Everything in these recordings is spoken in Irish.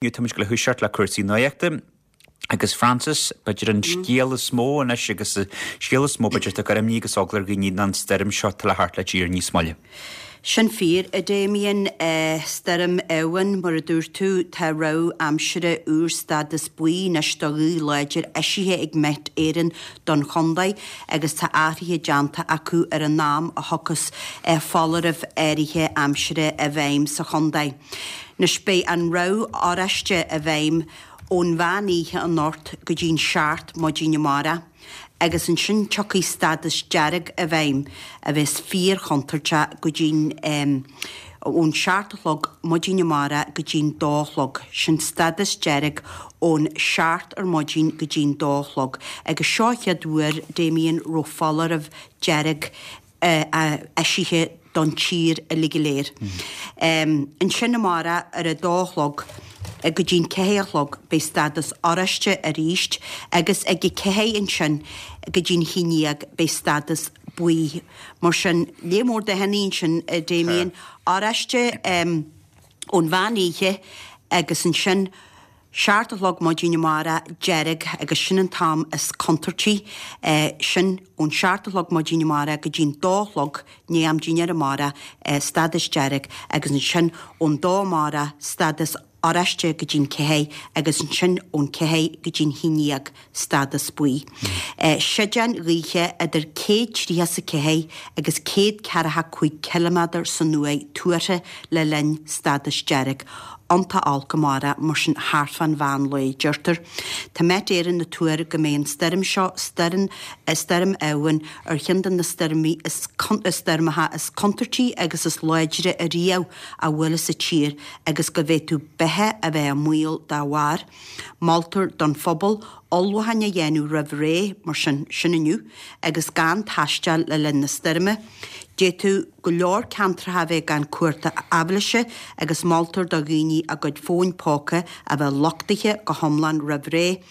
Inniu táimid ag gabháil a thoiseacht le cúrsaí nuachta agus Frances, b'fhéidir an scéal is mó anois agus an scéal is mó b'fhéidir atá ag cur imní agus eagla ar dhaoine ná an stoirm seo atá le theacht le tír níos moille. Sin fíor, a Damien. Stoirm Éowyn, mar a dúirt tú, tá rabhadh aimsire úr stádas buí anois do ghaoth láidir eisithe ag Met Éireann don chontae agus tá athruithe déanta acu ar an am a thiocfas foláirimh áirithe aimsire i bhfeidhm sa chontae. Anois beidh an rabhadh oráiste i bhfeidhm ón mheán oíche anocht go dtí'n seacht maidin amárach agus ansin tiocfaidh stádas dearg i bhfeidhm a bheas fíor-chontúirteach go dtí'n ón seacht a chlog maidin amárach go dtí'n dó a chlog. Sin stádas dearg ón seacht ar maidin go dtí'n dó a chlog agus seo an chéad uair, Damien, raibh foláireamh dearg eisithe don tír uilig go léir. Ansin amárach ar a dó a chlog go dtí'n ceathair a chlog beidh stádas oráiste arís agus ag a ceathair ansin go dtí'n haon dhéag beidh stádas buí. Mar sin, lear mór dathanna ansin, a Damien, oráiste ón mheán oíche agus ansin Seacht a chlog maidin amárach, dearg, agus sin an t-am is contúirtí, sin ón seacht a chlog maidin amárach go dtí'n dó a chlog, i ndiaidh am dinnéir amárach, stádas dearg, agus ansin ón dó amárach, stádas oráiste go dtí'n ceathair, agus ansin ón ceathair go dtí'n haon dhéag, stádas buí. Séideáin ghaoithe idir 134 agus 145 ciliméadar san uair tuartha le linn stádas dearg. Iontach olc amárach, mar sin thart fán mheán lae, deirtear. Tá Met Éireann ag tuar go mbeidh an stoirm seo, stoirm Stoirm Éowyn, ar cheann de na stoirmí is stoirmeacha is contúirtí agus is láidre ariamh a bhuail sa tír agus go bhféadfadh beatha a bheith i mbaol dá bharr. Moltar don phobal ullmhúcháin a dhéanamh roimh ré, mar sin, sin inniu, agus gan taisteal le linn na stoirme. D'fhéadfadh go leor ceantracha a bheith gan cumhacht aibhléise agus moltar do dhaoine a gcuid fóin póca a bheith luchtaithe go hiomlán roimh ré.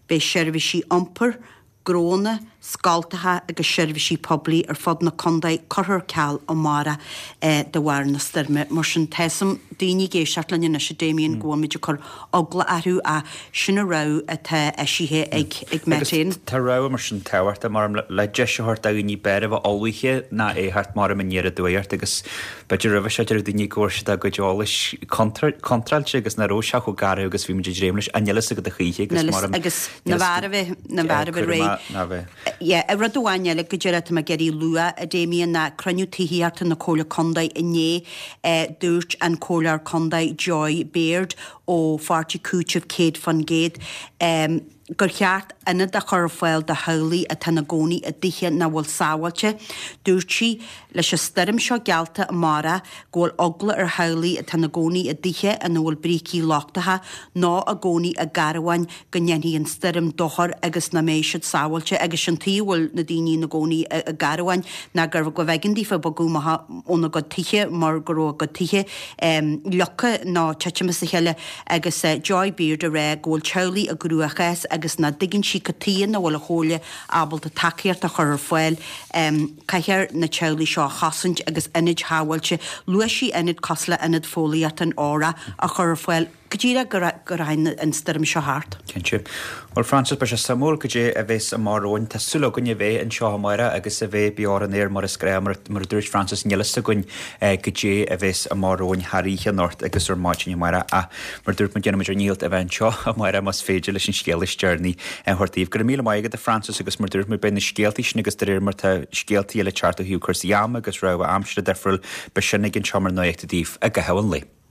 Beidh seirbhísí iompair, gnónna, scoltacha agus seirbhísí poiblí ar fud na contae curtha ar ceal amárach de bharr na stoirme. Mar sin, tá 'fhios a'm daoine ag éisteacht linn anois, a Damien, go bhfuilimid ag cur eagla orthu ach sin an rabhadh atá eisithe ag Met Éireann. Agus tá rabhadh mar sin tábhachtach, mar le deis a thabhairt do dhaoine b'fhearr a bheith ullmhaithe ná é a theacht mar aniar aduaidh ort agus B'fhéidir roimhe seo deireadh daoine go bhfuair siad a gcuid eolais contráilte agus nach raibh sé chomh garbh agus bhí muid ag dréim leis. Níl a fhios agat a choíche agus mar a. Agus na bhfear a bheith, na bhfear a bheith réidh. Yeah, rud amháin eile go díreach atá mé ag iarraidh a lua, a Damien, ná cruinniú tithíochta na Comhairle Contae inné, dúirt an Comhairleoir Contae Joy Baird ó Pháirtí Cúitimh 100%, gur cheart ionad a chur ar fáil do theaghlaigh atá ina gcónaí i dtithe nach bhfuil sábháilte. Dúirt sí, leis an stoirm seo geallta amárach, go bhfuil eagla ar theaghlaigh atá ina gcónaí i dtithe ina bhfuil brící lochtacha nó i gcónaí i gcarbháin go ndéanfaidh an stoirm dochar agus nach mbeidh siad sábháilte agus sin tuige a bhfuil na daoine ina gcónaí i gcarbháin ná gur go mb'éigean daofa bogadh amach óna gcuid tithe mar go raibh a gcuid tithe leagtha nó titim as a chéile. Agus Joy Beard ag rá go bhfuil teaghlaigh i gcruachás agus nach dtuigeann sí cad tuighe nach bhfuil an Chomhairle ábalta tacaíocht a chur ar fáil. Caithfear na teaghlaigh seo a chosaint agus ionaid shábháilte, luaigh sí ionad cosúil le Ionad Fóillíochta an Óraigh, a chur ar fáil go díreach go rachaidh an stoirm seo thart. Cinnte. Bhuel Frances, beidh sé suimiúil goidé a bheas amach romhainn. Tá súil againn a bheith anseo amárach agus a bheith beo ar an aer mar is gnáth. Mar a dúirt Frances, níl a fhios againn goidé a bheas amach romhainn thar oíche anocht agus ar maidin amárach ach mar a dúirt muid, déanfaimid ár ndícheall a bheith anseo amárach más féidir leis an scéal is deireanaí a thabhairt daoibh. Go raibh míle maith agat a Frances agus mar a dúirt muid, beidh na scéaltaí sin agus de réir mar tá scéaltaí eile ag teacht ó thaobh cúrsaí ama agus rabhadh aimsire difriúil, beidh sin againn anseo mar nuacht daoibh i gcaitheamh an lae.